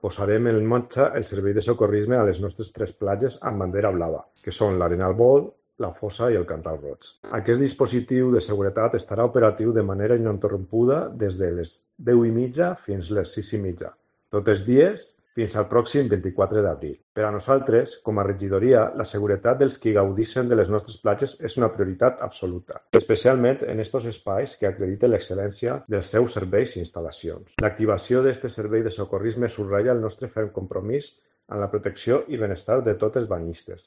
Posarem en marxa el servei de socorrisme a les nostres 3 platges amb bandera blava, que són l'Arenal Bol, la Fossa i el Cantal Roig. Aquest dispositiu de seguretat estarà operatiu de manera ininterrompuda des de les 10:30 fins les 6:30, tots els dies fins al pròxim 24 d'abril. Per a nosaltres, com a regidoria, la seguretat dels qui gaudeixen de les nostres platges és una prioritat absoluta, especialment en aquests espais que acrediten l'excel·lència dels seus serveis i instal·lacions. L'activació d'aquest servei de socorrisme subratlla el nostre ferm compromís amb la protecció i benestar de tots els banyistes,